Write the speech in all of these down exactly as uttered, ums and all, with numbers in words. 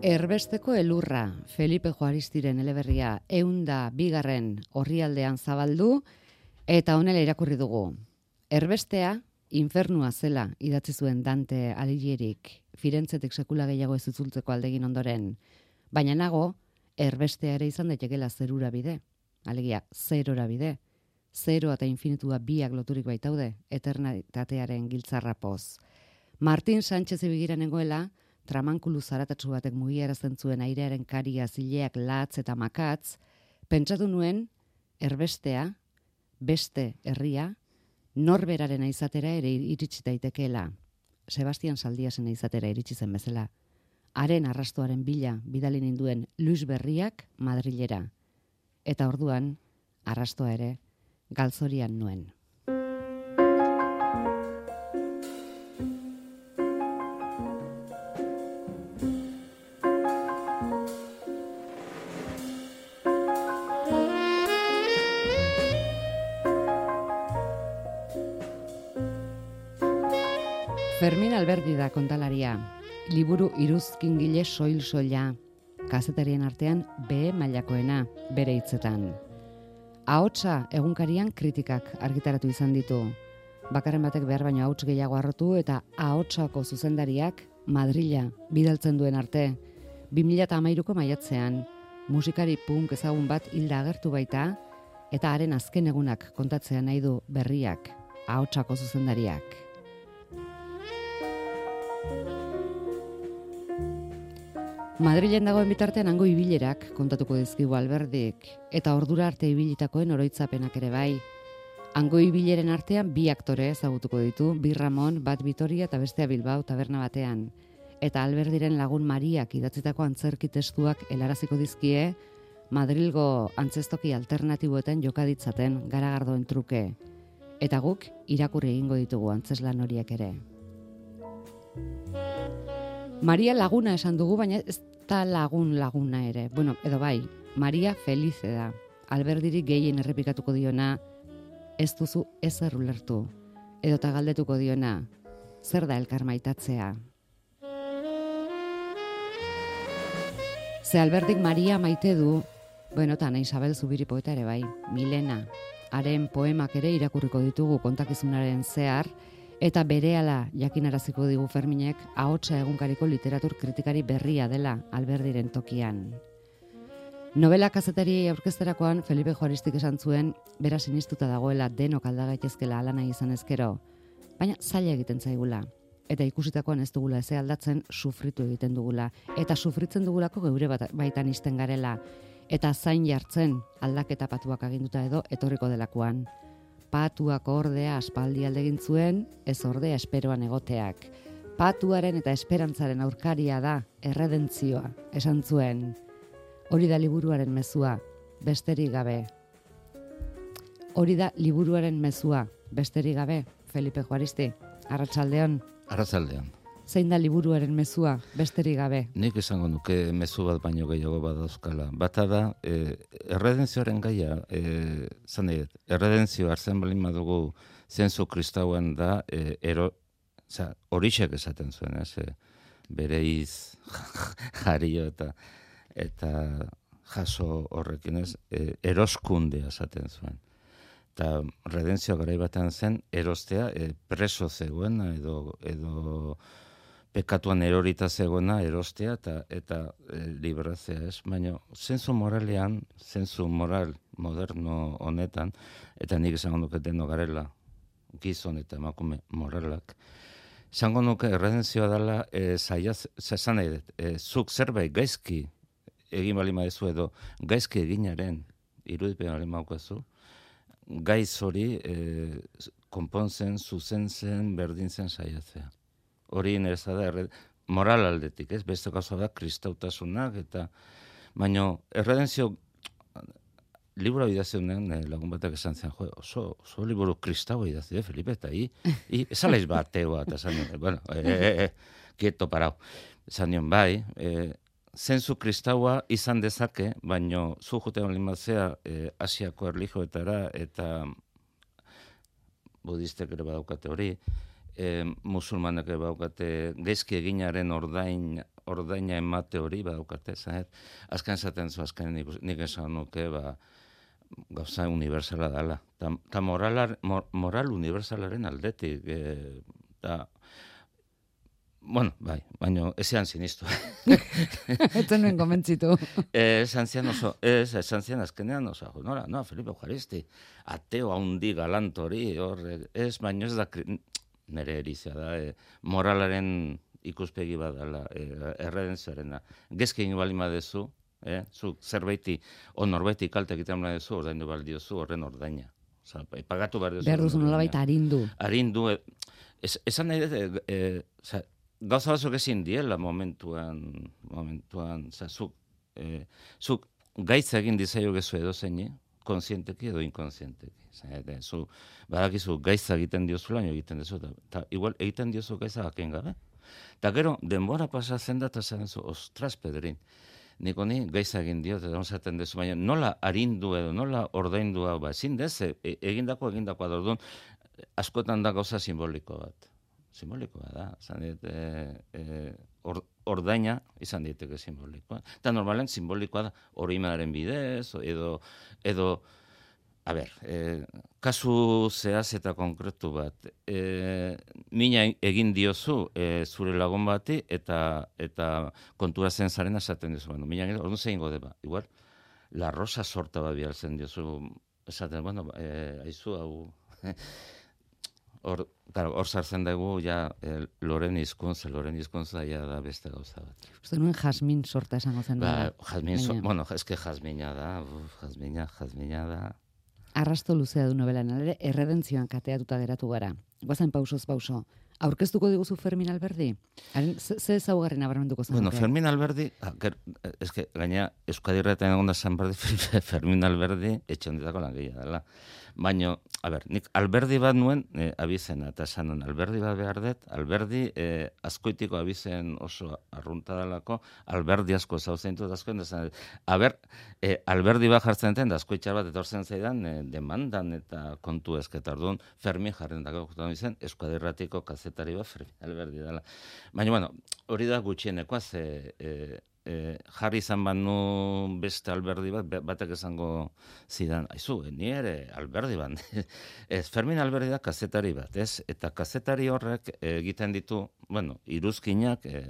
Erbesteko elurra, Felipe Juaristiren eleberria eunda bigarren orrialdean zabaldu, eta honela irakurri dugu. Erbestea, infernua zela idatzi zuen Dante Alighirik, Firentzetik sekula gehiago ez itzultzeko aldegin ondoren. Baina nago, erbestea ere izan daitekela zerura bide, alegia zerora bide. Zeroa eta infinitua biak loturik baitaude, eternitatearen giltzarra poz. Martin Sánchez ebigira nengoela, tramankulu zaratatsu batek mugiarazten zuen airearen karia, zileak, latz eta makatz, pentsatu nuen, erbestea, beste herria, norberaren izatera ere iritsi daitekeela. Sebastian Saldiasen izatera iritsi zen bezala. Haren arrastoaren bila bidali ninduen Luis Berriak Madrilera. Eta orduan, arrastoa ere, galzorian nuen. Fermin Alberdi da kontalaria, liburu iruzkingile soil-soila, kazetarien artean B mailakoena, bere hitzetan. Ahotsa egunkarian kritikak argitaratu izan ditu. Bakarren batek behar baino ahots gehiago harrotu eta ahotsako zuzendariak Madrila bidaltzen duen arte. bi mila hamairuko maiatzean, musikari punk ezagun bat hilda agertu baita, eta haren azken egunak kontatzea nahi du Berriak, ahotsako zuzendariak. Madrilen dagoen bitartean hango ibilerak kontatuko dizkigu Alberdik, eta ordura arte ibilitakoen oroitzapenak ere bai. Hango ibileren artean bi aktore ezagutuko ditu, bi Ramon, bat Vitoria eta bestea Bilbao taberna batean. Eta Alberdiren lagun Mariak idatzitako antzerki testuak helaraziko dizkie, Madrilgo antzestoki alternatiboetan jokaditzaten garagardoen truke. Eta guk irakurri egingo ditugu antzeslan horiek ere. Maria laguna esan dugu, baina ez da lagun laguna ere. Bueno, edo bai, Maria Felice da. Alberdirik gehien errepikatuko diona, ez duzu ezer ulertu. Edota galdetuko diona, zer da elkar maitatzea. Ze Alberdik Maria maite du, bueno, eta Isabel Zubiri poeta ere bai, Milena. Haren poemak ere irakurriko ditugu kontakizunaren zehar, eta berehala jakinaraziko digu Ferminek ahotsa egunkariko literatur kritikari berria dela Alberdiren tokian. Novela kazetari aurkezterakoan Felipe Juaristik esan zuen bera sinistuta dagoela denok alda gaitezkela hala nahi izan ezkero, baina zaila egiten zaigula. Eta ikusitakoan ez dugula eze aldatzen sufritu egiten dugula, eta sufritzen dugulako geure bat, baitan isten garela, eta zain jartzen aldaketa patuak aginduta edo etorriko delakoan. Patuak ordea aspaldi aldegin zuen, ez ordea esperoan egoteak. Patuaren eta esperantzaren aurkaria da, erredentzioa, esan zuen. Hori da liburuaren mezua, besterik gabe. Hori da liburuaren mezua, besterik gabe, Felipe Juaristi. Arratsaldeon. Arratsaldeon. Zein da liburuaren mezua, besterik gabe? Nik esango nuke mezu bat baino gehiago badauzkala. Bata da, eh, erredenzioaren gaia, eh, zan dira, erredentzio hartzen balin badugu zentzu kristauen da, eh, ero, za, horixek esaten zuen, ez, eh, bere iz jario eta, eta jaso horrekin ez, eh, eroskundea esaten zuen. Eta redentzioa garai batean zen, erostea, eh, preso zegoena edo, edo pekatuan erorita zegoena erostea eta eta e, librazea, ez? Baina zentzu moralean, zentzu moral moderno honetan, eta nik esango nuke deno garela, gizon eta emakume moralak, esango nuke erredenzioa dela e, zaiaz, zazan nahi dut, e, zuk zerbait gaizki egin bali maezu edo gaizki eginaren irudipen bali maukazu, gaiz hori e, konpontzen, zuzentzen, berdintzen saiatzea. Hori nereza da, erred... moral aldetik, ez? Beste gauza da, kristautasunak, eta baino, erredenzio, liburu idazionen lagun batak esan zen, jo, oso, oso liburu kristaua idazio, Felipe, eta hi, hi, esalaiz bat, teua, eta esan nion, bueno, e, e, e, kieto parau. Esan nion, bai, e, zentzu kristaua izan dezake, baino, zu juten limatzea, e, Asiako erlijioetara, eta budistek ere badaukate hori, e, musulmanek baukate gezki eginaren ordain, ordaina emate hori baukate, zahet, azken zaten zu, azken nik, nik esan nuke, ba, gauza universala dela. Ta, ta moralar, mor, moral universalaren aldetik, e, ta, bueno, bai, baina ezean sinistu. Etzen nuen komentzitu. Esan zian oso, ez, esan zian azkenean oso, nora, no, Felipe Eucharisti, ateo haundi galantori, hor, ez, baina ez da, nire erizia da, e, moralaren ikuspegi badala, e, erredenzioarena. Gezki egin bali madezu, eh, zu zerbaiti, o norbaiti kalte egiten bali dezu, ordaindu baldiozu horren ordaina. Osa, pagatu behar dezu. Behar duzu nolabait arindu. Arindu, e, es, esan nahi dut, e, e, gauza batzuk ezin diela momentuan, momentuan, za, zuk, e, zuk gaitza egin dizaio gezu edo zeini, konsienteki edo inkonsienteki. Zene, zu, badakizu gaitza egiten diozula, egiten dezu, eta igual egiten diozu gaitza baken gabe. Eta gero, denbora pasatzen da, eta zen zu, ostras, Pedrin, nik honi gaitza egin diot, eta onzaten dezu, baina nola arindu edo, nola ordaindu hau, ba, ezin dez, e, egindako, egindakoa dordun, askotan da gauza simboliko bat. Simbolikoa da, izan dit, e, e, or, ordaina izan diteke simbolikoa. Eta normalen simbolikoa da oroimenaren bidez, edo, edo a ber, e, kasu zehaz eta konkretu bat, e, mina egin diozu e, zure lagun bati, eta eta kontura zen zaren esaten dizu, bueno, mina egin, orduan zein gode ba, igual, la rosa sorta bat bialtzen diozu, esaten, bueno, e, aizu hau, Hor, claro, hor sartzen dugu, ja, el, loren hizkuntza, loren hizkuntza ja da beste gauza bat. Uste nuen jasmin sorta esango zen da. Ba, jasmin, so, bueno, eske jasmina da, uf, jasmina, jasmina da. Arrasto luzea du novelan, ere, erredentzioan kateatuta geratu gara. Guazen pausoz pauso. Aurkeztuko diguzu Fermin Alberdi? Haren, ze ezaugarri nabarmenduko zen? Bueno, Fermin Alberdi, eske, gaina, Euskadi Irratian egon da San Berdi, Fermin Alberdi, etxe hondetako langilea dela. Baina, a ber, nik Alberdi bat nuen e, abizena, eta esan nuen, Alberdi bat behar dut, Alberdi e, azkoitiko abizen oso arrunta dalako, Alberdi asko zauzein dut askoen, esan, a ber, e, Alberdi bat jartzen den, da azkoitxar bat etortzen zaidan, e, demandan eta kontu ezketar duen, Fermin jarren dago, izan, Euskadi Irratiko kazetari bat, Fermin Alberdi dela. Baina, bueno, hori da gutxienekoa, ze... E, E, jarri izan banu beste Alberdi bat, batek esango zidan, aizu, ni ere Alberdi bat. Ez, Fermin Alberdi da kazetari bat, ez? Eta kazetari horrek egiten ditu, bueno, iruzkinak e,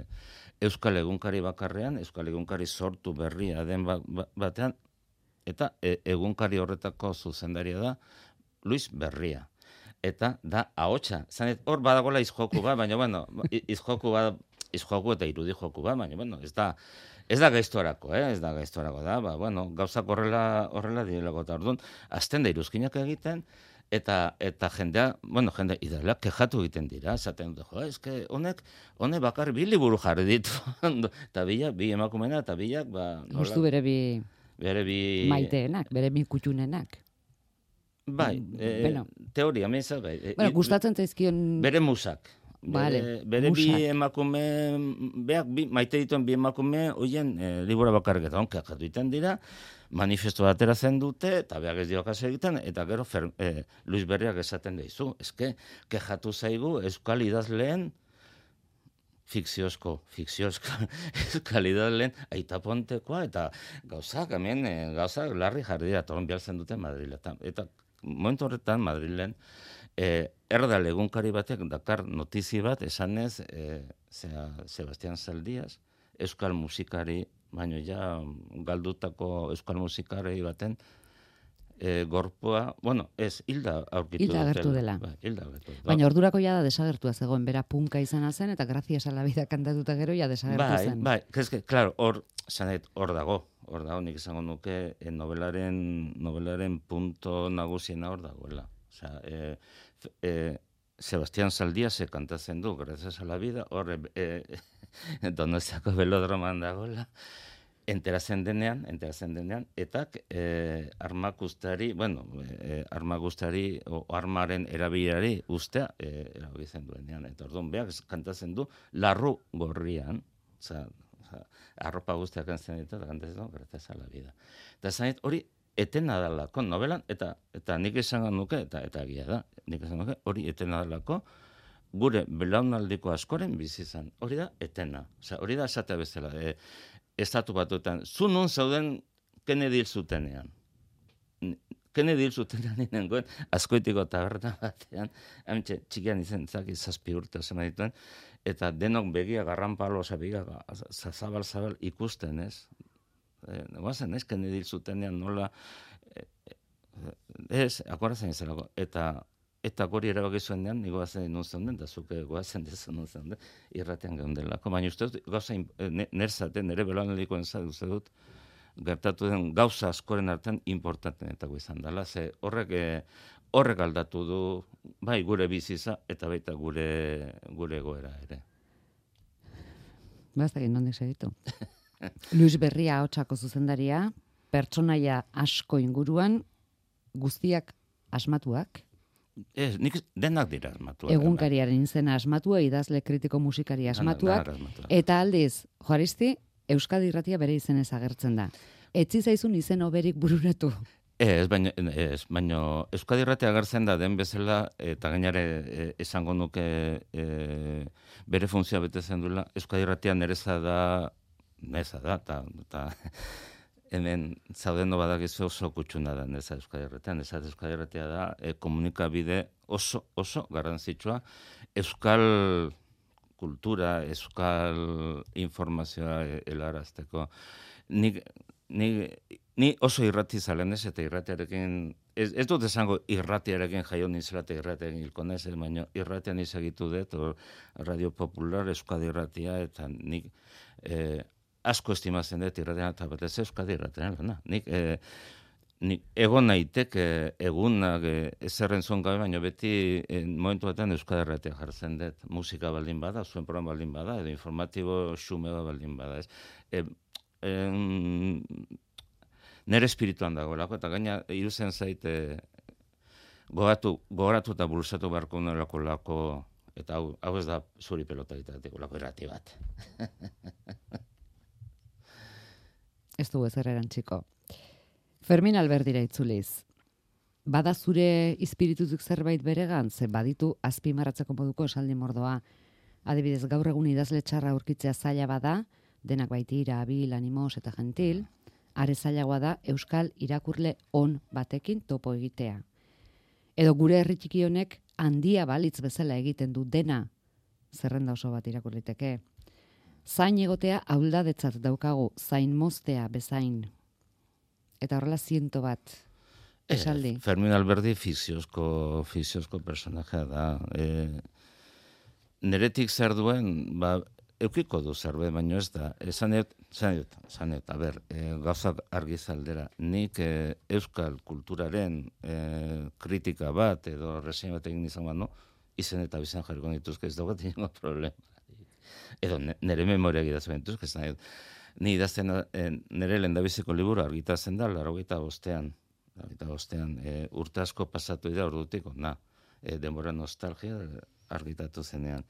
Euskal Egunkari bakarrean, Euskal Egunkari sortu berria den batean, eta e, egunkari horretako zuzendaria da Luis Berria. Eta da ahotsa. Zanet, hor badagola izjoku bat, baina, bueno, izjoku bat, izjoku eta irudi joku bat, baina, bueno, ez da, ez da gaiztorako, eh? ez da gaiztorako da, ba, bueno, gauzak horrela, horrela direlako eta orduan, azten da iruzkinak egiten, eta eta jendea, bueno, jendea idala kejatu egiten dira, esaten dut, jo, eske honek, honek bakar bi liburu jarri ditu, eta bila, bi emakumena, eta bilak, ba... Justu bere bi... Bere bi... Maiteenak, bere bi kutxunenak. Bai, e, bueno. Teoria, meza, bai. Bueno, gustatzen zaizkion... Bere musak. Vale, bere bere bi emakume, beak bi, maite dituen bi emakume, hoien e, libura bakarrik eta onkeak jatu iten dira, manifesto batera zen dute, eta beak ez dio kaso egiten, eta gero fer, e, Luis Berriak esaten dizu, eske, kejatu zaigu Euskal idazleen, fikziozko, fikziozko, Euskal idazleen aitapontekoa, eta gauzak, hemen, e, gauzak larri jarri dira, toron bialtzen dute Madriletan, eta momentu horretan Madrilen, E, erdal egunkari batek dakar notizi bat esanez e, zera, Sebastián Zaldiaz, euskal musikari, baina ja galdutako euskal musikari baten e, gorpoa, bueno, ez, hilda aurkitu hilda agertu dela. Ba, hilda agertu dela. Baina ordurako ja da desagertua zegoen, bera punka izana zen, eta gracias a la vida kantatuta gero ja desagertu bai, zen. Bai, bai, claro, hor, zanet, hor dago, hor dago, nik izango nuke, e, novelaren, novelaren punto nagusiena hor dagoela. Osea, e, e, Sebastián Zaldiaz se kantatzen du, gracias a la vida, hor, e, e, Donostiako belodroman dagoela, enteratzen denean, enteratzen denean, eta e, armakustari, bueno, e, armakustari, o armaren erabilari ustea, e, erabiltzen duenean, eta orduan beak kantatzen du, larru gorrian, oza, arropa guztiak kantzen ditu, eta kantatzen du, gracias a la vida. Eta zanit, hori, etena dalako novelan, eta eta nik esan nuke, eta eta egia da, nik esan nuke, hori etena dalako gure belaunaldiko askoren bizi izan. Hori da etena. Osea, hori da esatea bezala. E, estatu batuetan, zu nun zauden Kennedy hil zutenean. Kennedy hil zutenean nengoen, Azkoitiko taberna batean, hamitxe, txikian izan, zaki, zazpi urte osan dituen, eta denok begia garranpalo, oza, begia, zabal-zabal ikusten, ez? E, Guazen, ez, Kennedy hil zutenean nola, e, ez, akorazen izanako, eta Eta gori erabaki zuen dean, ni goazen nun zeunden, da zuke goazen dezu nun zeunden, irratean geundelako. Baina uste dut, gauza, nerzaten, nere belanaldikoen zadu uste dut, gertatu den gauza askoren artean importantenetako izan dela, ze horrek, horrek aldatu du, bai gure biziza, eta baita gure, gure egoera ere. Baztak inondik segitu. Luis Berria ahotsako zuzendaria, pertsonaia asko inguruan, guztiak asmatuak, Ez, nik denak dira asmatuak. Egunkariaren izena asmatua, idazle kritiko musikari asmatuak, eta aldiz, Juaristi, Euskadi Irratia bere izenez agertzen da. Etzi zaizun izen oberik bururatu. Ez, baina, ez, baina Euskadi Irratia agertzen da den bezala, eta gainare e, esango nuke e, bere funtzioa betetzen duela, Euskadi Irratia nereza da, nereza da, eta hemen zaudeno badakizu oso kutsuna da neza Euskadi Irratian, neza Euskadi Irratia da e, komunikabide oso, oso garrantzitsua euskal kultura, euskal informazioa helarazteko. Ni, ni, ni oso irrati zalen ez, eta irratiarekin, ez, ez dut esango irratiarekin jaio nintzela eta irratiarekin hilko nez, baina irratian izagitu dut, Radio Popular, Euskadi Irratia, eta nik eh, asko estimatzen dut irratean eta batez Euskadi Irratean lana. Nik, e, nik egon naitek e, egunak e, ezerren zuen gabe, baina beti e, momentu batean Euskadi Irratea jartzen dut. Musika baldin bada, zuen programa baldin bada, edo informatibo xumea baldin bada. Ez. E, e, nere espirituan dagoelako, eta gaina iruzen zaite gogatu, gogoratu eta bulsatu beharko nolako lako, eta hau, hau ez da zuri pelota ditatiko lako irrati bat. Ez du ezer erantziko. Fermin Alberdira itzuliz. Bada zure izpiritutik zerbait beregan, ze baditu azpimarratzeko moduko esaldi mordoa. Adibidez, gaur egun idazle txarra aurkitzea zaila bada, denak baitira, abil, animos eta gentil, are zailagoa da euskal irakurle on batekin topo egitea. Edo gure herri txiki honek handia balitz bezala egiten du dena, zerrenda oso bat irakurliteke. Zain egotea auldadetzat daukagu, zain moztea bezain. Eta horrela ziento bat esaldi. Eh, Fermin Alberdi fikziozko, fikziozko personajea da. E, neretik zer duen, ba, eukiko du zerbait, baino ez da. E, zanet, zanet, zanet, a ber, e, gauzak argi zaldera. Nik e, euskal kulturaren e, kritika bat, edo resein bat egin izan bat, no? Izen eta bizan jarriko dituzke, ez daugat ingo problema. Edo nire memoria gidatzen dut, ni idazten nire lehendabiziko liburu argitatzen da, laurogeita bostean, laurogeita bostean, e, urte asko pasatu dira ordutik, na, e, denbora nostalgia argitatu zenean.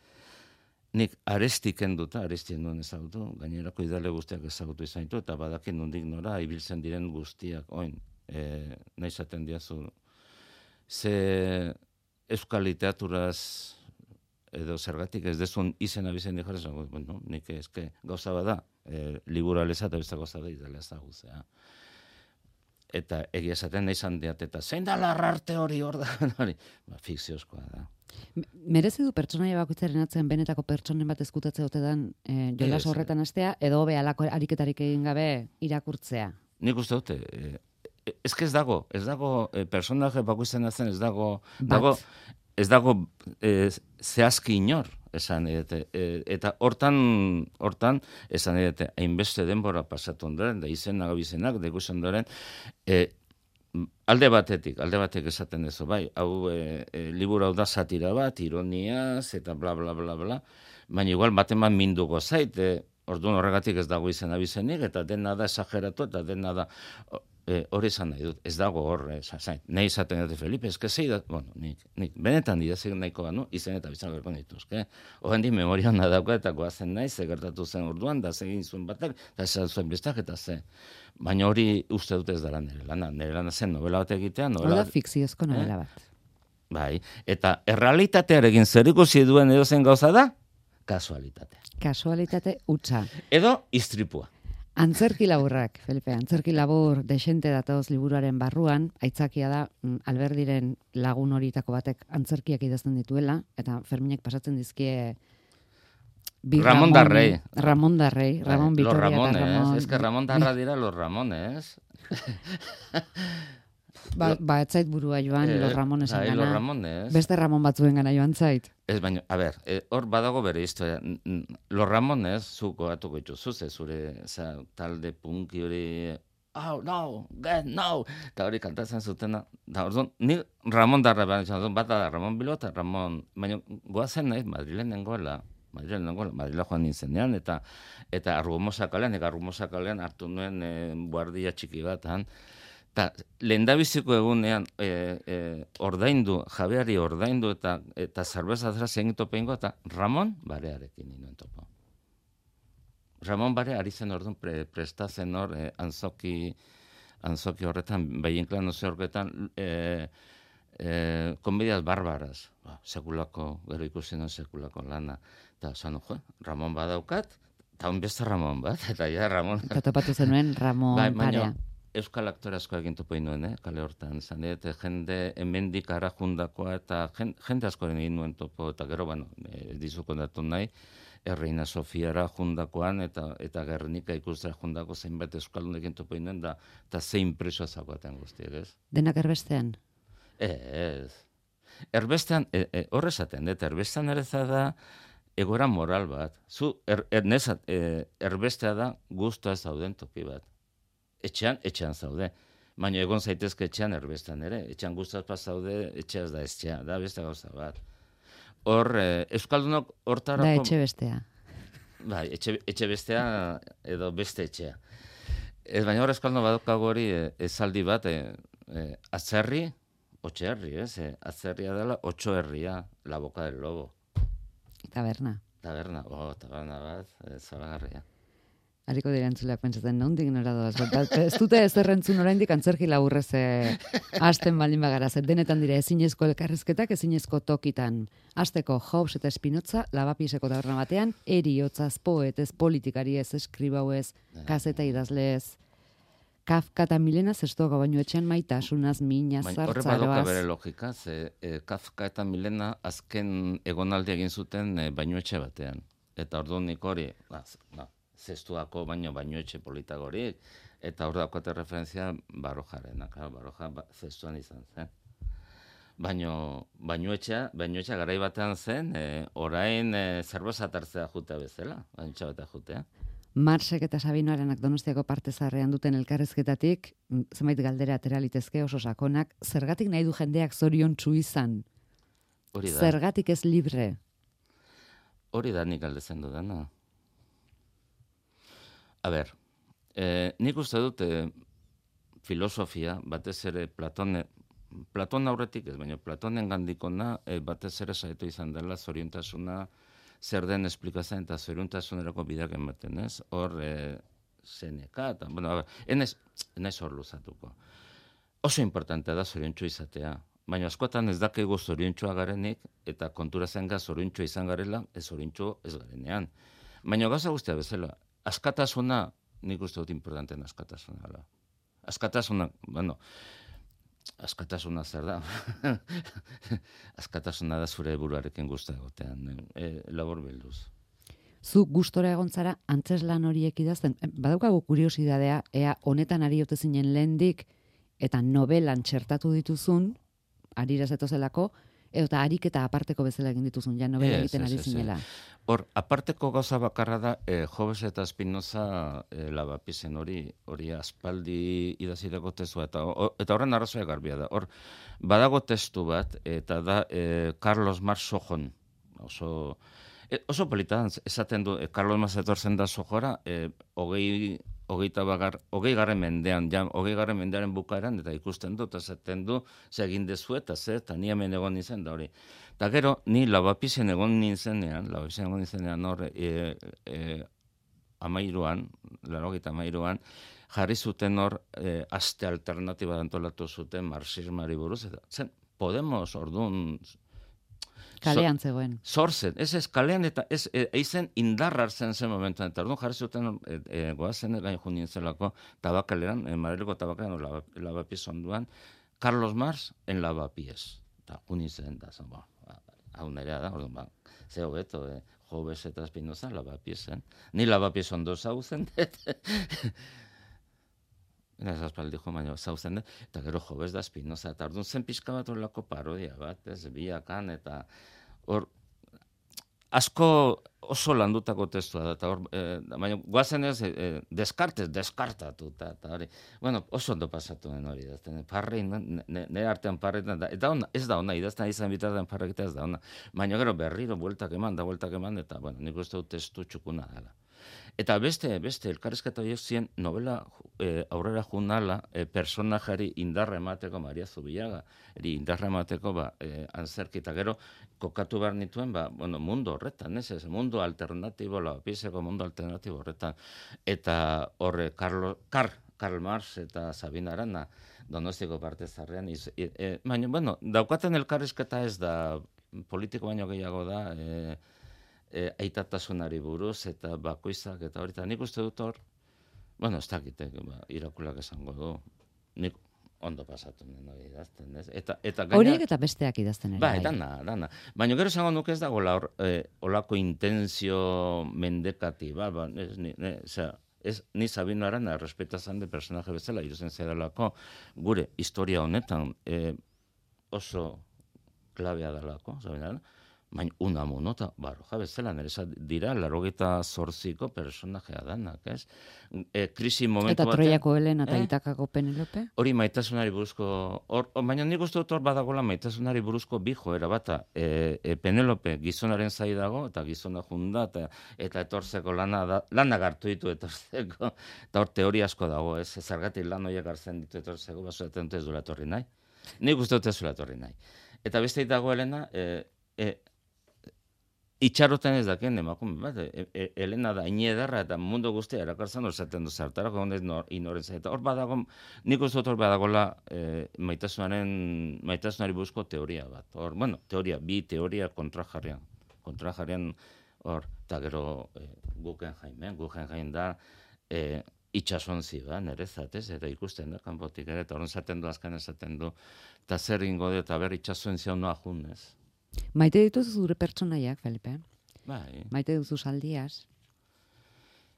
Nik arestik enduta, arestien duen ezagutu, gainerako idale guztiak ezagutu izan ditu, eta badakin nondik nora, ibiltzen diren guztiak, oin, e, nahi zaten diazu, ze euskal literaturaz edo zergatik ez dezun izena bizen dijarez, bueno, nik ezke gauza bada, e, liburu aleza eta beste gauza da idala ezaguzea. Eta egia esaten nahi zan diat, eta zein da larrarte hori hor da, hori, ba, fikziozkoa da. Merezi du pertsonaia bakoitzaren atzean benetako pertsonen bat ezkutatze otedan e, jolas horretan hastea, edo hobe alako ariketarik egin gabe irakurtzea? Nik uste dute, e, ez ez dago, ez dago e, personaje bakoitzen atzen, ez dago, dago, ez dago e, zehazki inor, esan edete. E, eta hortan, hortan, esan edete, hainbeste denbora pasatu ondoren, da izenak, abizenak, da ikusen ondoren, e, alde batetik, alde batek esaten dezu, bai, hau e, e, liburu hau da satira bat, ironiaz, eta bla, bla, bla, bla, baina igual baten bat minduko zait, e, orduan horregatik ez dago izen abizenik, eta dena da esageratu, eta dena da... E, hori izan nahi dut, ez dago hor, e, zain, nahi izaten dute Felipe, ezke zei da, bueno, nik, nik, benetan idazik nahiko banu, izen eta bizan gerko dituzke. Horren di memoria hona dauka eta goazen nahi, ze gertatu zen orduan, da zegin zuen batak, eta ez zuen bestak, eta ze. Baina hori uste dut ez dara nire lana, nire lana zen novela bat egitea, novela... Hora fikziozko novela bat. Bai, eta errealitatearekin zer ikusi duen edozen gauza da, kasualitatea. Kasualitate hutsa. Edo istripua. Antzerki laburrak, Felipe, antzerki labur desente datoz liburuaren barruan, aitzakia da mm, Alberdiren lagun horietako batek antzerkiak idazten dituela, eta Ferminek pasatzen dizkie bi Ramon Darrey. Ramon Darrey, Ramon Los Vitoria eta Ramones, Ramon... es que Ramon Darra dira los Ramones. Ba, ba ez zait burua joan, Eh, los Ramonesen bai, gana. los Ramones. Beste Ramon batzuen gana joan zait. Ez baino, a ber, eh, hor badago bere historia. N- n- Los Ramones, zuko atuko dituzu, ze zure za, talde punki hori, oh, no, get, no, eta hori kantatzen zutena. Da, orduan, ni Ramon Darra behar, bata da Ramon Bilbao eta Ramon, baina goazen nahi, Madrilen nengoela, Madrilen nengoela, Madrila joan nintzenean, eta eta Argumosa kalean, eta Argumosa kalean hartu nuen e, guardia txiki batan, eta lehendabiziko egunean e, e, ordaindu, jabeari ordaindu eta eta zerbeza zera zein topeingo eta Ramon Barearekin ninoen topo. Ramon Bare ari zen orduan pre, prestatzen hor e, anzoki, anzoki horretan, behinklan oze horretan, e, e, komedias barbaras, ba, sekulako, gero ikusi non sekulako lana. Eta zan, jo, Ramon badaukat, eta hon beste Ramon bat, eta ja Ramon... Eta topatu zenuen Ramon Bai, Parea. baina euskal aktore asko egin topo nuen, eh, kale hortan. Zan, eta jende hemendik ara jundakoa, eta jende, jende asko egin nuen topo, eta gero, bueno, e, dizuko datu nahi, Erreina Sofiara jundakoan, eta eta Gernika ikustera jundako zeinbat euskaldunekin topo nuen, da, eta zein presoa zakoaten guztiek, ez? Denak erbestean? Ez. Erbestean, e, e, horre esaten, eta erbestean ere da egoera moral bat. Zu, er, er, nezat, e, erbestea da guztua ez zauden toki bat. Etxean, etxean zaude. Baina egon zaitezke etxean erbestean ere. Etxean guztaz pas zaude, etxeaz da etxea, da beste gauza bat. Hor, e, euskaldunok hortarako... Da etxe bestea. Bai, etxe, etxe bestea edo beste etxea. Ez baina hor euskaldun badokago hori e, esaldi bat, e, e, atzerri, otxe herri, ez? E, atzerria dela, otxo herria, la boca del lobo. Taberna. Taberna, oh, taberna bat, e, zoragarria. Hariko dira entzuleak pentsatzen, nondik nora doaz. Ez dute ez errentzun oraindik antzerki laburrez eh, hasten baldin bagara. Zer denetan dira ezinezko elkarrezketak, ezinezko tokitan. Hasteko Hobbes eta Spinoza, lavapieseko taberna batean, eriotzaz, poetez, politikariez, eskribauez, kazeta idazleez, Kafka eta Milena zestoga baino etxean maitasunaz, mina, Horre zartzaroaz. badoka bere logika, ze e, Kafka eta Milena azken egonaldi egin zuten e, bainuetxe batean. Eta orduan nik hori, ba, ba, zestuako baino bainuetxe politagorik, eta hor daukate referentzia Barojarena, claro, Baroja ba, zestuan izan zen. Baino bainuetxea, bainuetxea garai batean zen, e, orain e, zerbeza tartzea jutea bezala, bainuetxe batea jutea. Marsek eta Sabinoarenak Donostiako parte zaharrean duten elkarrezketatik, mm, zenbait galdera atera litezke oso sakonak, zergatik nahi du jendeak zoriontsu izan? Hori da. Zergatik ez libre? Hori da nik galdetzen dudana. A ber, eh, nik uste dut eh, filosofia, batez ere Platone, Platon aurretik ez, baina Platonen gandikona eh, batez ere saiatu izan dela zoriontasuna zer den esplikazioa eta zoriontasunerako bideak ematen, ez? Hor, eh, Seneka, eta, bueno, a ber, enez, enez hor luzatuko. Oso importantea da zoriontsu izatea, baina askotan ez dakigu zoriontsua garenik, eta kontura zen gaz zoriontsua izan garela, ez zoriontsu ez garenean. Baina gauza guztia bezala, askatasuna, nik uste dut importanten askatasuna da. Askatasuna, bueno, askatasuna zer da? Askatasuna da zure buruarekin guztia egotean, e, labor bilduz. Zu gustora egon zara antzeslan horiek idazten. Badaukagu kuriosidadea, ea honetan ari ote zinen lehendik, eta novelan txertatu dituzun, arira zetozelako, eta ariketa aparteko bezala egin dituzun, ja novela egiten ari zinela. Hor, aparteko gauza bakarra da, eh, Hobbes eta Spinoza eh, lavapiesen hori, hori aspaldi idazitako testua, eta, o, eta horren arrazoia garbia da. Hor, badago testu bat, eta da eh, Carlos Marx Sojon, oso... E, oso polita, esaten du, e, Carlos Marx etortzen da Sojora, e, hogei, hogeita bagar, hogei garren mendean, ja, hogei garren mendearen bukaeran, eta ikusten du, eta esaten du, ze egin dezu, eta ze, eta ni hemen egon nintzen da hori. Eta gero, ni lavapisen egon nintzenean, lavapisen egon nintzenean hor, e, e, amairuan, larogeita amairuan, jarri zuten hor, e, aste alternatiba antolatu zuten marxismari buruz, eta zen, Podemos, orduan... Kalean zegoen. Zorzen, ez ez, kalean eta ez, e, eizen indarra hartzen zen momentuan, eta orduan jarri zuten e, e, goazen gain junien zelako tabakaleran, e, Madrileko tabakaleran, lava, lavapiez onduan, Carlos Mars en lavapiez. Eta junien zen da, zen, ba, hau nerea da, orduan, ba, ze hobeto, e, Jobes eta Espinoza lavapiezen. Ni lavapiez ondo zauzen, Eta zazpaldi jo, baina zauzen, eta gero Jobes da Espinoza, eta orduan zen pixka bat horrelako parodia bat, ez, biakan, eta hor, asko oso landutako testua da, eta hor, e, baina guazen ez, e, deskartez, deskartatu, eta, eta hori, bueno, oso ondo pasatu den hori, idazten, parrein, nire artean parrein, da, eta ona, ez da ona, idazten izan bitartean parrekita ez da ona, baina gero berriro, bueltak eman, da bueltak eman, eta, bueno, nik uste dut testu txukuna dela. Eta beste, beste, elkarrezketa horiek zien novela e, aurrera junala e, personajari indarra emateko, Maria Zubillaga, eri indarra emateko, ba, e, antzerkita gero, kokatu behar nituen, ba, bueno, mundu horretan, ez ez, mundu alternatibo, lavapiezeko mundu alternatibo horretan. Eta horre, Carlo, Car, Karl Marx eta Sabina Arana, Donostiko parte zarrean, iz, e, e, baina, bueno, daukaten elkarrezketa ez da, politiko baino gehiago da, e, E, aitatasunari buruz eta bakoitzak eta hori, eta nik uste dut hor, bueno, ez dakitek, ba, irakulak esango du, nik ondo pasatu nien hori idazten, ez? Eta, eta gaina... Horiek eta besteak idazten ere. Ba, dana, dana. Baina gero esango nuke ez dago la, eh, olako intenzio mendekati, ba, ba, ez, ni, ne, osea, ez, ni Sabino Arana errespetazan de personaje bezala, iruzen zedalako, gure historia honetan eh, oso klabea dalako, Sabino Arana, baina Unamuno eta Baroja bezala, nire dira, larogeta zorziko personajea danak, ez? E, krisi momentu eta batean... Troiako Helena eta eh? Itakako Penelope? Hori maitasunari buruzko... Or, or, baina nik uste dut hor badagola maitasunari buruzko bi joera bata. E, e, Penelope gizonaren zai dago, eta gizona junda, eta, eta etorzeko lana, da, lana gartu ditu etorzeko, eta hor teoria asko dago, ez? Zergatik lan horiek hartzen ditu etorzeko, basoetan ez duela etorri nahi. Nik uste dut ez duela etorri nahi. Eta beste dago Helena, e, e, itxaroten ez dakien emakume bat, e, e, Elena da inedarra eta mundu guztia erakartzen hor zaten du zartarako honez inoren zaita. Hor badago, nik uste dut hor badagola e, maitasunaren, maitasunari buruzko teoria bat. Hor, bueno, teoria, bi teoria kontrajarrian. Kontrajarrian hor, eta gero e, Guggenheim, Guggenheim da e, itxasontzi ba, nerezat, ez, eta ikusten da, kanpotik ere, eta horren zaten du, azkan esaten du, eta zer ingo du, eta ber itxasontzi hau noa junez. Maite dituzu zure pertsonaiak, Felipe? Bai. Maite duzu Saldias?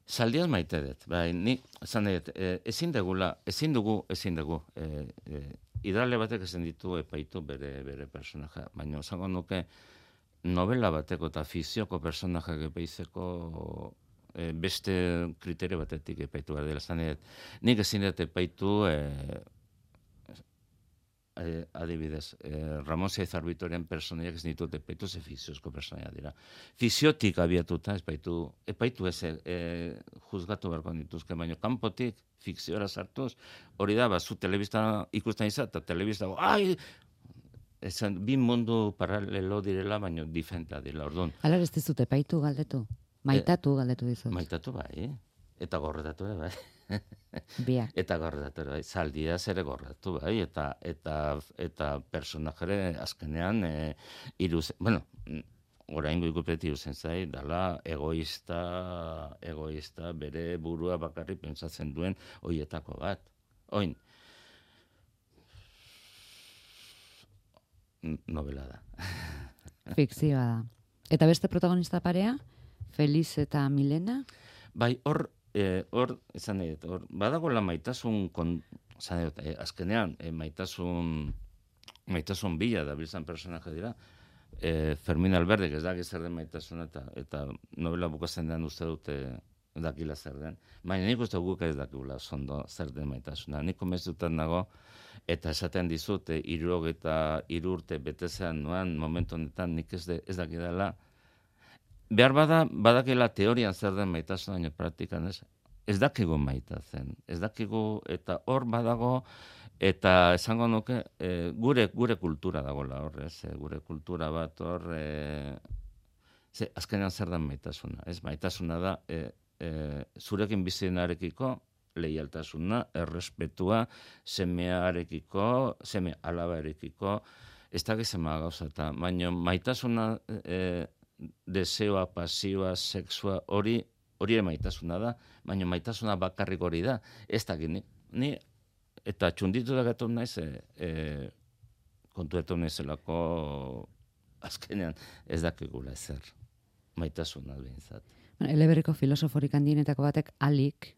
Saldias maite dut. Bai, ni, esan dut, e, ezin degula, ezin dugu, ezin dugu. E, e, Idrale batek ezin ditu epaitu bere, bere personaja. Baina, esango nuke, novela bateko eta fizioko personajak epaizeko e, beste kriterio batetik epaitu behar dela. Esan dut, nik ezin dut epaitu... E, Eh, adibidez, eh, Ramon Zaizar Bitoren personaiak ez ditut epaitu, ze fiziozko personaia dira. Fiziotik abiatuta, epaitu, epaitu ez eh, juzgatu beharko dituzke, baina kanpotik fikziora sartuz, hori da, ba, zu telebista ikusten izan, eta telebista, ai, esan, bi mundu paralelo direla, baina diferentea dira, orduan. Alar ez dizut epaitu galdetu? Maitatu galdetu dizut? Maitatu bai, eta gorretatu ere bai. Biak. Eta gorretatu bai, Saldias ere gorretatu bai, eta eta eta personajere azkenean e, iruz, bueno, oraingo ikuspegi iruzen zai, dala egoista, egoista bere burua bakarrik pentsatzen duen hoietako bat. Oin, novela da. Fikzioa da. Eta beste protagonista parea? Feliz eta Milena? Bai, hor Eh, hor, esan nahi, hor, badago la maitasun, kon, esan nahi, eh, azkenean, eh, maitasun, maitasun bila da biltzan personaje dira, eh, Fermin Alberdek ez daki zer den maitasuna, eta, eta novela bukatzen den uste dute dakila zer den. Baina nik uste guk ez dakila zondo zer den maitasuna. Nik komenzutan nago, eta esaten dizut, eh, irurog eta irurte betezean noan, momentu honetan nik ez, de, ez dakidala, behar bada, badakela teorian zer den maitasuna, baina praktikan ez, ez dakigu maitatzen, ez dakigu, eta hor badago, eta esango nuke, e, gure gure kultura dagoela hor, ez, e, gure kultura bat hor, e, ze, azkenean zer den maitasuna, ez, maitasuna da, e, e, zurekin bizienarekiko, leialtasuna, errespetua, semearekiko, seme alabarekiko, ez da gizema gauza, eta baina maitasuna, e, deseoa, pasioa, sexua, hori, hori ere maitasuna da, baina maitasuna bakarrik hori da, ez da gini, ni, eta txunditu da gatu naiz, e, e, kontuetu naizelako, azkenean ez dakigula ezer, maitasuna behintzat. Bueno, eleberriko filosoforik handienetako batek alik,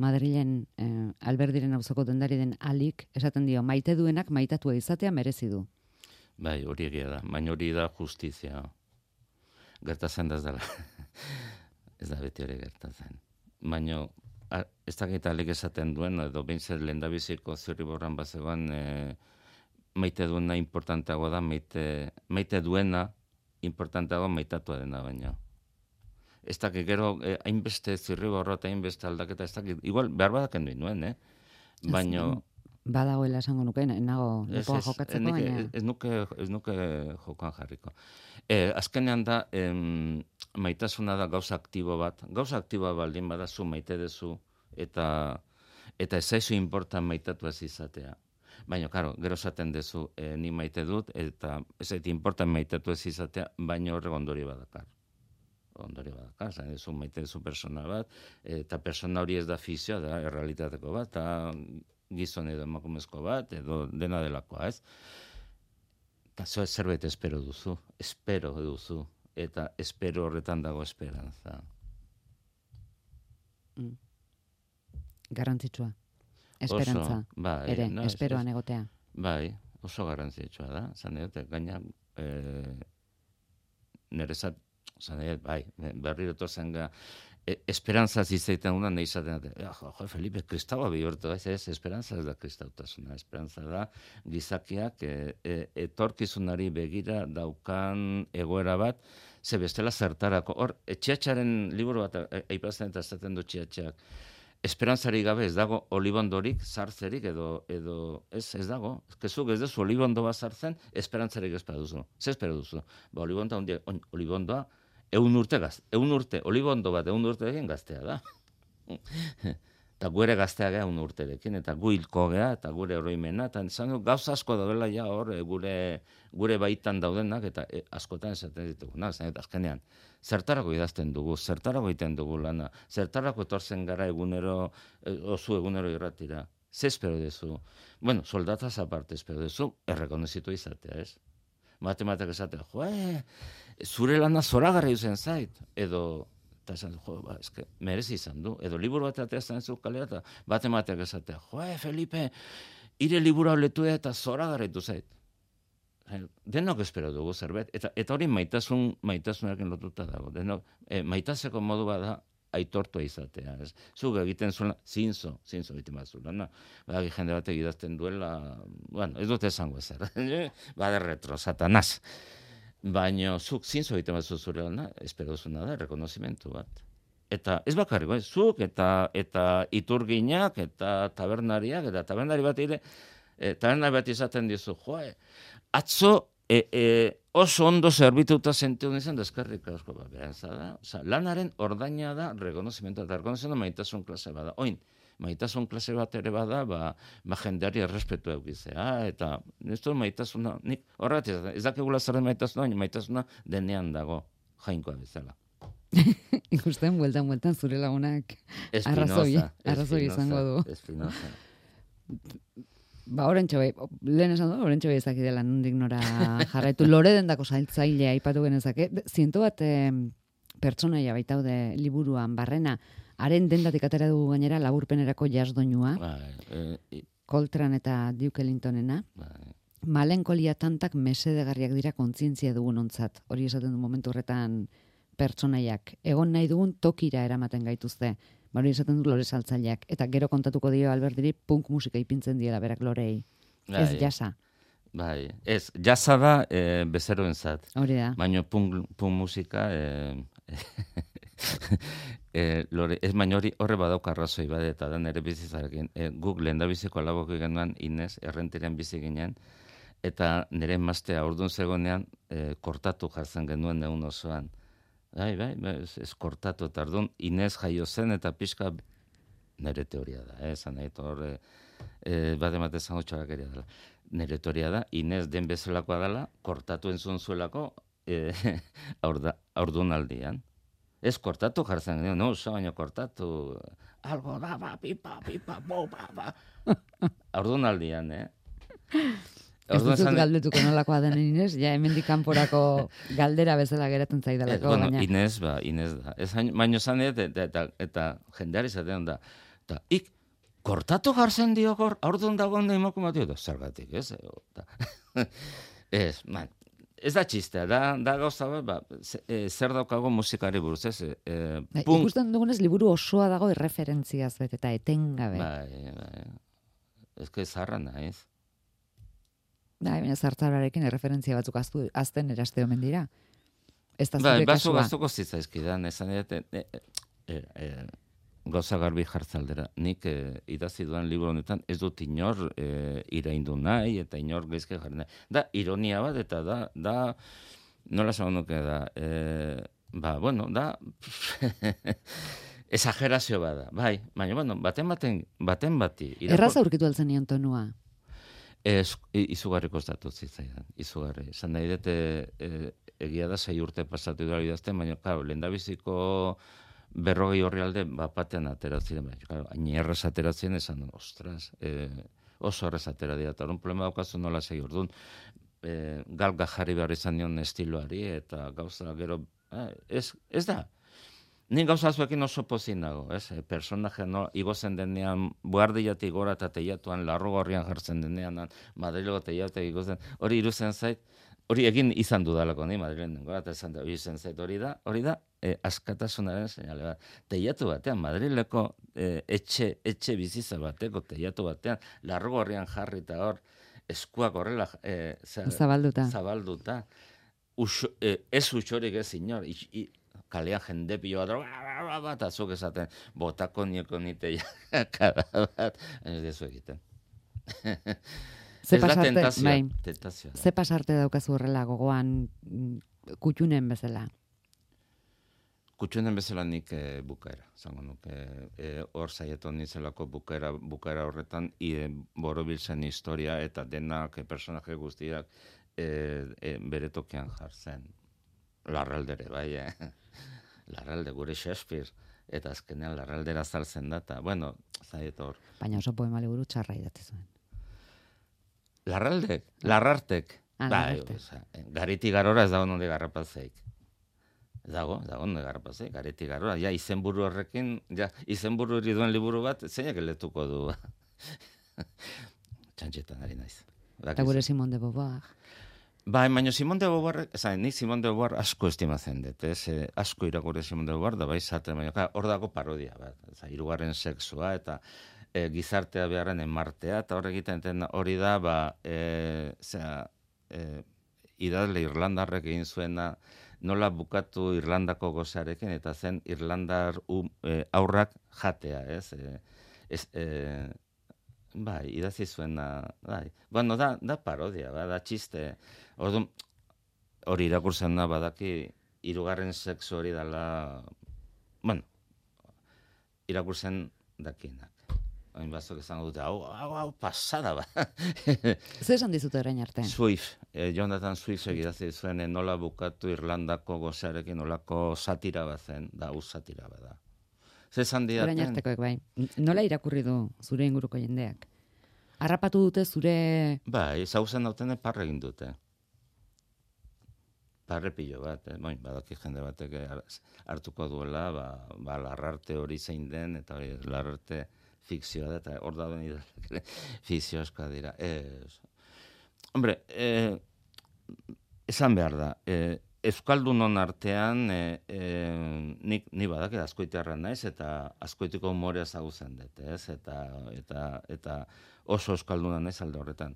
Madrilen eh, Alberdiren auzoko dendari den alik, esaten dio, maite duenak maitatua izatea merezi du. Bai, hori egia da, baina hori da justizia. Gertatzen da ez dela. Ez da beti hori gertatzen. Baina, ez dakit alik esaten duen, edo behintzat lehendabiziko Zirriborran bazegoan, e, maite duena importanteago da, maite, maite duena importanteago maitatua dena baina. Ez dakit, gero, eh, hainbeste Zirriborro eta hainbeste aldaketa, ez dakit, igual, behar badaken duen duen, eh? Baina... Badagoela esango nuke, nago lepoa jokatzeko, ez, baina... Ez nuke, ez nuke jokan jarriko. Eh, azkenean da, em, maitasuna da gauza aktibo bat. Gauza aktiboa baldin badazu maite dezu, eta eta ez zaizu importan maitatu ez izatea. Baina, karo, gero esaten dezu, eh, ni maite dut, eta ez zait importan maitatu ez izatea, baina horrek ondori badakar. Ondori badakar, zain dezu maite dezu persona bat, eta persona hori ez da fizioa, da errealitateko bat, eta gizon edo emakumezko bat, edo dena delakoa, ez? Eta zo zerbait espero duzu, espero duzu, eta espero horretan dago esperantza. Mm. Garrantzitsua. Esperantza, oso, bai, ere, no, esperoan es, egotea. Bai, oso garrantzitsua da, zan edot, gaina, e, nerezat, zan edot, bai, berriro torzen ga, e, esperantza zizaiten una nahi izaten, ja, jo, jo, Felipe, kristaua bihurtu, ez, ez, esperantza ez da kristautasuna, esperantza da gizakiak e, e, etorkizunari begira daukan egoera bat, ze bestela zertarako, hor, etxeatxaren liburu bat, aipatzen eta esaten du txiatxeak, esperantzari gabe ez dago olibondorik, sartzerik, edo, edo ez, ez dago. Kezuk ez dezu olibondo bat sartzen, esperantzarik ez duzu. Ze espero duzu? Ba, olibondoa, ondia, on, olibondoa, eun urte gaz, eun urte, olibondo bat eun urte egin gaztea da. Eta gure gaztea gea eun urterekin, eta gu hilko gea, eta gure oroimena, eta zan, gauza asko daudela ja hor, gure, gure baitan daudenak, eta e, askotan esaten dituguna, zan, eta azkenean, zertarako idazten dugu, zertarako egiten dugu lana, zertarako etortzen gara egunero, oso egunero irratira. Ze espero dezu? Bueno, soldataz aparte espero dezu, errekonozitu izatea, ez? Matematak esatea, jo, e, zure lana zoragarri zen zait, edo, eta esan, jo, ba, eske, merezi izan du, edo liburu bat ateazten ez kalera, eta matematak esatea, jo, e, Felipe, ire liburu letu eta zoragarri du zait. Denok espero dugu zerbait, eta, eta hori maitasun, maitasunarekin lotuta dago. Denok, e, maitaseko modu bada aitortua izatea. Ez? Zuk egiten zuela, zinzo, zinzo egiten bat zuela. No? Badaki jende batek idazten duela, bueno, ez dut esango ezer. Bade retro, satanaz. Baina zuk zinzo egiten bat zuzure lana, espero zuna da, rekonozimentu bat. Eta ez bakarrik, ez? Zuk eta, eta iturginak, eta tabernariak, eta tabernari bat ere, e, tabernari bat izaten dizu, joe, atzo e, e, oso ondo zerbituta zentu nizan deskarrik asko bat behantza da. Osa, lanaren ordaina da rekonozimentu, eta rekonozimentu maitasun klase bada. Oin, maitasun klase bat ere bada, ba, ba jendeari errespetu eukizea, eta ez du maitasuna, nik horret ez dakigula zerren maitasuna, baina maitasuna denean dago jainkoa bezala. Ikusten, bueltan, bueltan, zure lagunak arrazoi, arrazoi izango du. Espinoza. Ba, orentxo bai, lehen esan du, orentxo bai ezaki dela nondik nora jarraitu. Lore dendako zailtzailea aipatu genezake. Zientu bat eh, pertsonaia baitaude liburuan barrena, haren dendatik atera dugu gainera laburpenerako jasdoinua, Bai, Coltrane eta Duke Ellingtonena. bai. Malenkolia tantak mesedegarriak dira kontzientzia dugun ontzat. Hori esaten du momentu horretan pertsonaiak. Egon nahi dugun tokira eramaten gaituzte. Hori esaten du Lore saltzaileak. Eta gero kontatuko dio Albertiri punk musika ipintzen diela berak Lorei. Bai, Ez jasa. Bai, ez, jasa da e, bezeroentzat. Hori da. Baina punk, punk musika, e, e, lore, ez baina hori horre badauk arrazoi bade, eta da nire bizizarekin. E, guk lehen da biziko alaboko genuen Inez, errentiren bizi ginen, eta nire emaztea ordun zegonean e, kortatu jartzen genuen egun osoan. Bai, bai, ez, ez kortatu, eta orduan Inez jaio zen, eta pixka nire teoria da, eh, zan nahi, horre, e, bat emate zango txabakeria dela. nire teoria da, Inez den bezalakoa dela, kortatu entzun zuelako e, aurdunaldian. Ez kortatu jartzen, no, oso baino kortatu, algo da, ba, pipa, pipa, bo, ba, ba. Aurdunaldian, eh? Ez dut galdetuko nolakoa den Inez, ja hemendik kanporako galdera bezala geratzen zaidalako. Eh, bueno, baina. Inez, ba, Inez da. Ez baino zan eta, eta, eta, eta jendeari zaten da. Eta, ik, kortatu jartzen dio gor, aurdun dagoen da imako matio, da, zergatik, ez? Ez, man, ez da txistea, da, da gauza bat, ba, zer daukago musikari buruz, ez? E, Ba, ikusten dugunez, liburu osoa dago erreferentziaz bet, eta etengabe. Bai, bai. Ez que zarra naiz. Da, baina zartzararekin erreferentzia batzuk aztu, azten eraste omen dira. Ez da Bai, zure baso kasua. gaztuko zitzaizkidan, esan edate, e, e, e, gauza garbi jartzaldera. Nik e, idazi duan liburu honetan ez dut inor e, iraindu nahi eta inor geizke jarri nahi. Da, ironia bat eta da, da nola esan nuke da, e, ba, bueno, da, exagerazio bada, bai, baina, bueno, baten baten, baten bati. Irako... Erraza aurkitu altzen nion tonua. Ez, izugarri kostatu zitzaidan, izugarri. Esan nahi dute, e, egia da sei urte pasatu dira idazten, baina, claro, lehendabiziko berrogei horri alde, bapatean ateratzen, baina, claro, hain erraz ateratzen, esan, ostras, e, oso erraz atera dira, eta horren problema daukazu nola sei orduan, e, galga jarri behar izan nion estiloari, eta gauza gero, eh, ez, ez da. Ni gauza zuekin oso pozin nago, ez? E, personaje no, igozen denean, buhardiatik gora eta teiatuan, larro gorrian jartzen denean, Madrilego teiatek igozen, hori iruzen zait, hori egin izan dudalako, ni Madrilen gora eta izan da, iruzen zait, hori da, hori da, e, askatasunaren seinale bat. Teiatu batean, Madrileko e, etxe, etxe biziza bateko, teiatu batean, larro gorrian jarri eta hor, eskuak horrela, e, zabalduta. zabalduta. Uxo, e, ez utxorik ez inor, i, i, kalean jende pilo bat, bat, azuk esaten, botako nieko nite kada bat, ez dezu egiten. Ze Ez da pasarte, tentazioa. bai. Tentazioa. Ze pasarte daukazu horrela gogoan kutxunen bezala? Kutxunen bezala nik e, bukaera, zango nuke, e, hor saieton nizelako bukaera, bukaera horretan, e, borobiltzen historia eta denak e, personaje guztiak e, e, bere tokian jartzen. Larraldere, bai, eh? Larralde, gure Shakespeare, eta azkenean larraldera zaltzen da, eta, bueno, zaiet hor. Baina oso poema liburu txarra idatzi zuen. Larraldek, larrartek. Ah, bai, larrartek. oza, gariti garora ez dago nonde garrapazeik. Ez dago, ez dago nonde garrapazeik, gariti garora. Ja, izenburu horrekin, ja, izenburu hori duen liburu bat, zeinak eletuko du. Txantxetan ari naiz. Eta gure Simon de Beauvoir. Bai, baina Simon de Beauvoir, esan, nik Simon de Beauvoir asko estimatzen dut, ez? E, asko irakurri Simon de Beauvoir, da bai zaten, baina hor dago parodia, bat, ez, hirugarren sexua, eta e, gizartea beharren emartea, eta hor egiten den hori da, ba, e, zera, e, idazle Irlandarrek egin zuena, nola bukatu Irlandako gozarekin, eta zen Irlandar um, e, aurrak jatea, ez? E, ez e, bai, idazi zuena, bai. Bueno, da, da parodia, ba, da txiste. Orduan, hori irakurtzen da, badaki, hirugarren sexu hori dela, bueno, irakurtzen dakienak. Hain batzuk izango dute, hau, hau, hau, pasada, ba. Zer esan dizute orain arte? Swift, eh, Jonathan Swift egidazi zuen, eh, nola bukatu Irlandako gozarekin, nolako satira bat zen, da, hau satira bat da. Zer esan didaten? Orain artekoek bai. Nola irakurri du zure inguruko jendeak? Harrapatu dute zure... Bai, zauzen dautene parre egin dute. Parre pilo bat, eh? Boin, badaki jende batek hartuko duela, ba, ba larrarte hori zein den, eta hori larrarte fikzioa da, eta hor dauden idazle fikzio askoa dira. Ez. Hombre, eh, esan behar da, eh, Euskaldunon artean, e, e, nik, ni badaki azkoitiarra naiz, eta azkoitiko umorea zagutzen dut, ez? Eta, eta, eta oso euskalduna naiz alde horretan.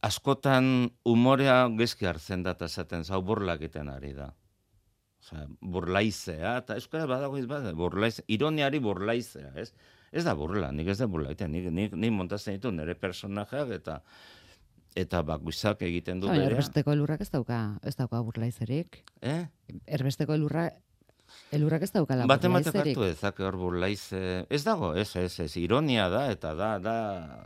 Askotan umorea gezki hartzen da, eta esaten zau burla egiten ari da. Osea, burlaizea, eta euskara badago izbada, burlaize, ironiari burlaizea, ez? Ez da burla, nik ez da burla egiten, nik, nik, nik montatzen ditu nire personajeak, eta eta bakuizak egiten du Baina berea. erbesteko elurrak ez dauka, ez dauka burlaizerik. Eh? Erbesteko elurra Elurrak ez daukala Bate burlaizerik. batek hartu ezak hor burlaize... Ez dago, ez, ez, ez, ironia da, eta da, da,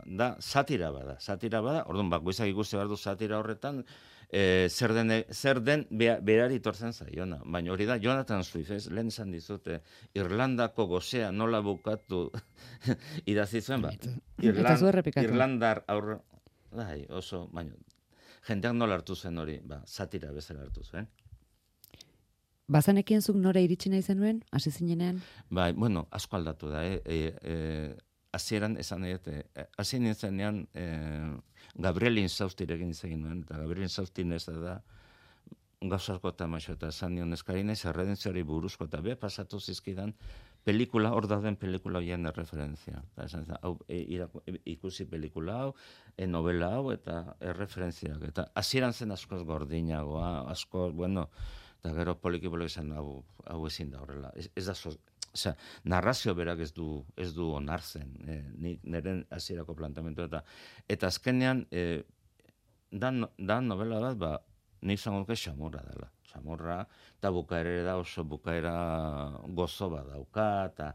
da, satira bada, satira bada, orduan, bakoitzak ikusi behar du satira horretan, e, zer den, zer den be, berari tortzen zaiona. Baina hori da, Jonathan Swift, ez, lehen izan dizute, Irlandako gozea nola bukatu idazi zuen, ba, Irland, Irlandar aurre, bai, oso, baina, jendeak nola hartu zen hori, ba, satira bezala hartu zuen. Bazanekien zuk nora iritsi nahi zenuen, hasi zinenean? Bai, bueno, asko aldatu da, eh? E, e, Azieran, esan nahi, e, hasi nintzenean e, Gabriel Inzaustirekin izan nuen, eta Gabriel Inzaustin ez da gauzarko eta maixo, eta esan nion eskarina, erredentziari buruzko, eta be, pasatu zizkidan, pelikula, hor dauden pelikula hoien erreferentzia. Eta esan zen, hau, e, irako, e, ikusi pelikula hau, e, novela hau, eta erreferentziak. Eta hasieran zen askoz gordinagoa, askoz, bueno, eta gero poliki-poliki izan hau, hau ezin da horrela. Ez, ez da, so, osea, narrazio berak ez du, ez du onartzen, e, ni, neren hasierako plantamentu eta eta azkenean, e, da, da novela bat, ba, ni izango duke xamurra dela. Xamurra, eta bukaera da oso bukaera gozo bat dauka, eta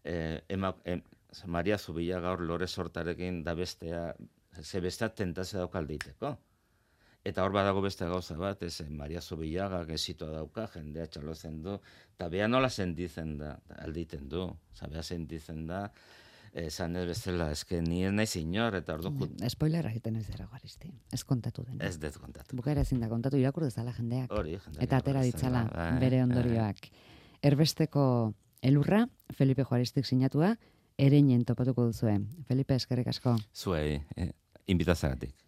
e, ema, em, Maria Zubillaga gaur lore sortarekin da bestea, ze bestea tentazio dauka aldeiteko. Eta hor badago beste gauza bat, ez, Maria Zubillaga gesitoa dauka, jendea txalotzen du, eta beha nola sentitzen da, alditen du, oza, beha sentitzen da, esan ez bezala, eske ni ez nahi zinor, eta ordu... Mm, spoilerra egiten ez dara Garisti, ez kontatu den. Ez dut kontatu. Bukaera ezin da kontatu, irakur dezala jendeak. Hori, jendeak. Eta atera ditzala bai, bere ondorioak. Erbesteko elurra, Felipe Juaristik sinatua, ereinen topatuko duzue. Felipe, eskerrik asko. Zuei, eh, inbitazagatik.